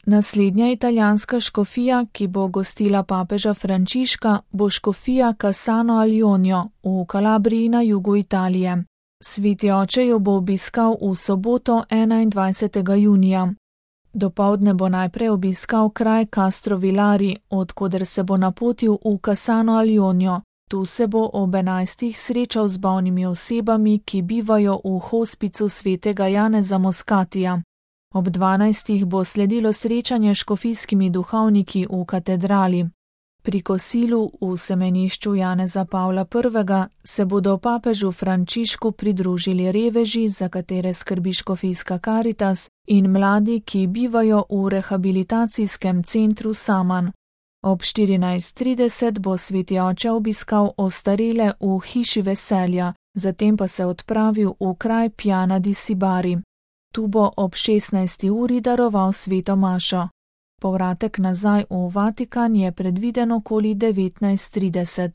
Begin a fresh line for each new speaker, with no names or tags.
Naslednja italijanska škofija, ki bo gostila papeža Frančiška, bo škofija Cassano al Ionio v Kalabriji na jugu Italije. Sveti oče jo bo obiskal v soboto 21. junija. Dopoldne bo najprej obiskal kraj Castro Villari, odkoder se bo napotil v Cassano al Ionio. Tu se bo ob 11. srečal z bolnimi osebami, ki bivajo v hospicu svetega Janeza Moscatija. Ob 12. bo sledilo srečanje s škofijskimi duhovniki v katedrali. Pri kosilu v semenišču Janeza Pavla I. se bodo papežu Frančišku pridružili reveži, za katere skrbi škofijska Karitas, in mladi, ki bivajo v rehabilitacijskem centru Saman. Ob 14:30 bo sveti oče obiskal ostarele v hiši veselja, zatem pa se odpravil v kraj Piana di Sibari. Tu bo ob 16. uri daroval sveto mašo. Povratek nazaj v Vatikan je predviden okoli 19:30.